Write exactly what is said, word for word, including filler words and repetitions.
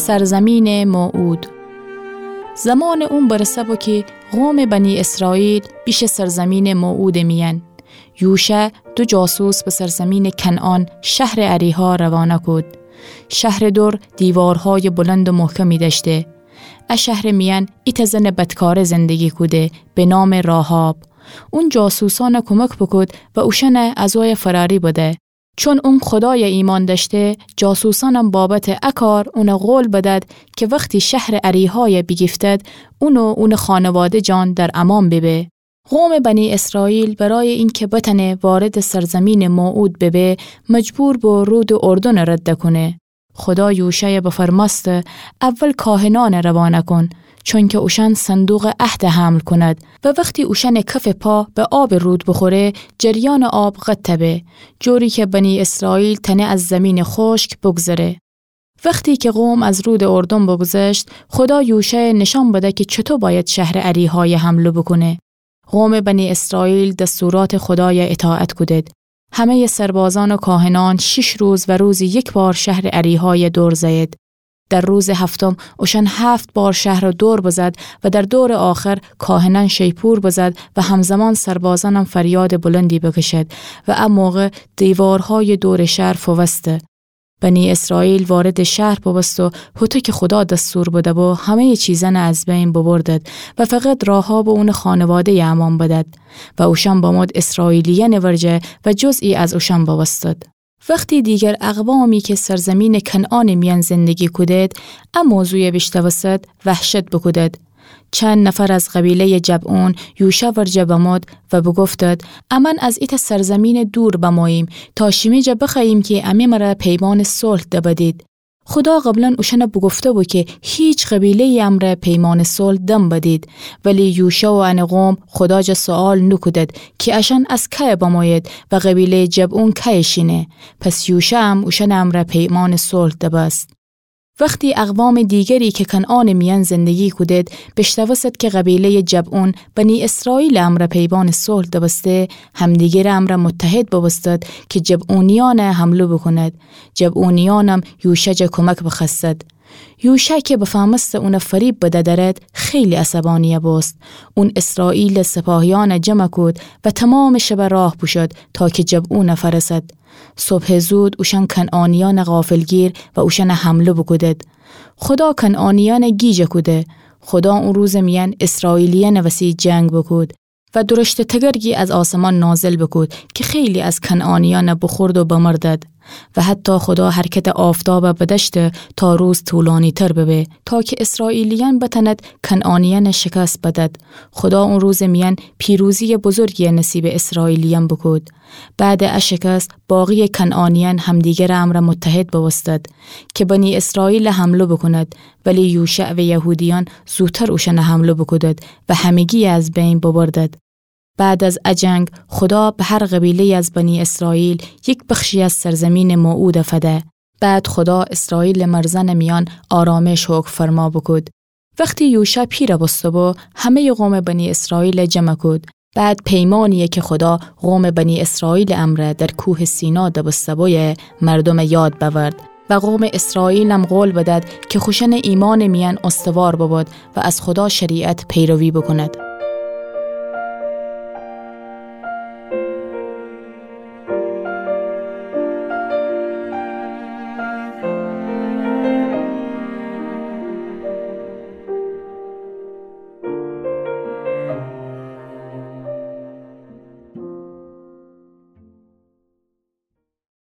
سرزمینٚ موعود. زمانٚ اون برسه بو کی قومٚ بنی اسرائیل بیشه سرزمینٚ موعودٚ میأن. یوشع دو جاسوس به سرزمینٚ کنعان، شهرٚ اریحا روانه کود. شهرٚ دور دیوارهایٚ بلندٚ محکمی دأشته. ا شهرٚ میأن ایتأ زنٚ بدکاره زندگی کوده به نامٚ راحاب. اون جاسوسأن کومک بوکود و اوشأن از وی فراری بده. چون اون خودای ایمأن دأشته، جاسوسأنم بابتٚ ا کار اون قول بدد کی وختی شهرٚ اریحای بیگیفتد، اون و اونٚ خانواده جان در امأن بیبه. قومٚ بنی اسرائیل برایٚ اینکه بتأنه واردٚ سرزمینٚ موعود بیبه، مجبور بو رودٚ اردنٚ رد کونه. خودا یوشعَ بفرمأسته: اول کاهنأنَ روانه کون، چونکه اوشأن صندوقٚ عهدَ حمل کونید و وختی اوشأنٚ کفٚ پا به آبٚ رود بوخوره، جریانٚ آب قطع به، جوری که بنی اسرائیل تأنه از زیمینٚ خوشک بوگذره. وختی که قوم از رودٚ اردن بوگذشت، خودا یوشعَ نیشأن بده که چوطو بأید شهرٚ اریحایَ حمله بوکونه. قومٚ بنی اسرائیل دستوراتٚ خودایَ اطاعت کودید. همه‌یٚ سربازأن و کاهنأن شیش روز و روزی یک بار شهرٚ اریحایَ دور زأیید. در روزٚ هفتم اوشأن هفت بار شهرَ دور بزد و در دورٚ آخر کاهنأن شیپور بزد و همزمان سربازأنم فریادٚ بلندی بکشید و ا موقع دیوارهایٚ دورٚ شهر فووسته. بنی اسرائیل واردٚ شهر بوبوست و هوطو که خودا دستور بده‌بو، همه‌یٚ چیزأنَ از بین ببردید و فقط راحاب و اونٚ خانواده‌یَ امأن بدید و اوشأن بمود اسرائیلیأنٚ ورجه و جزئی از اوشأن بوستید. وختی دیگر اقوامی که سرزمینٚ کنعانٚ میأن زندگی کودید، ا موضوعَ بیشنوستید، وحشت بوکودید. چند نفر از قبیله‌یٚ جبعون یوشع ورجه بمود و بوگفتید: امأن از ایتأ سرزمینٚ دور بموییم تا شیمی جا بخوأییم که امی مرَ پیمانٚ صلح دبدید. خودا قبلاً اوشأنَ بوگفته‌بو که هیچ قبیله‌یی امرأ پیمانٚ صلح دنبدید، ولی یوشع و انٚ قوم خودا جا سؤال نوکودید که اشأن از کأی بمویید و قبیله‌یٚ جبعون کأیٚ شینه. پس یوشعم اوشأنٚ امرأ پیمانٚ صلح دبست. وختی اقوامٚ دیگری که کنعانٚ میأن زندگی کودید بیشنوستید که قبیله‌یٚ جبعون بنی اسرائیلٚ امرأ پیمانٚ صلح دبسته، همدیگرٚ امرأ متحد بوبوستید که جبعونیأنَ حمله بوکونید. جبعونیأنم یوشع جا کومک بخوأستید. یوشع که بفهمسته اونَ فریب بده درید، خیلی عصبانی بوست. اون اسرائیلٚ سپاهیأنَ جمع کود و تومامٚ شب راه بوشود تا که جبعونَ فأرسد. صبحٚ زود اوشأن کنعانیأنَ غافلگیر و اوشأنَ حمله بوکودید. خودا کنعانیأنَ گیج کوده. خودا او روزٚ میأن اسرائیلیأنٚ وسی جنگ بوکود و درشتٚ تگرگی از آسمان نازل بوکود که خیلی از کنعانیأنَ بوخورد و بمردید. و حتی خودا حرکتٚ آفتابَ بدأشته تا روز طولانی‌تر ببه، تا که اسرائیلیأن بتأنید کنعانیأنَ شکست بدید. خودا او روزٚ میأن پیروزی‌یٚ بزرگی نصیبٚ اسرائیلیأن بوکود. بعدٚ ا شکست، باقی‌یٚ کنعانیأن همدیگرٚ امرأ متحد بوبوستید که بنی اسرائیلَ حمله بوکونید، ولی یوشع و یهودیأن زودتر اوشأنَ حمله بوکودید و همگی‌یَ از بین ببردید. بعد از ا جنگ، خودا به هر قبیله‌یی از بنی اسرائیل یک بخشی از سرزمینٚ موعودَ فده. بعد خودا اسرائیلٚ مرزأنٚ میأن آرامش حکم فرما بوکود. وختی یوشع پیر بوسته‌بو، همه‌یٚ قومٚ بنی اسرائیلَ جمع کود. بعد پیمانی‌یی که خودا قومٚ بنی اسرائیلٚ امرأ در کوهٚ سینا دبسته‌بویَ مردومٚ یاد بأورد و قومٚ اسرائیلم قول بدید که خوشأنٚ ایمأنٚ میأن استوار ببید و از خودا شریعت پیروی بوکونید.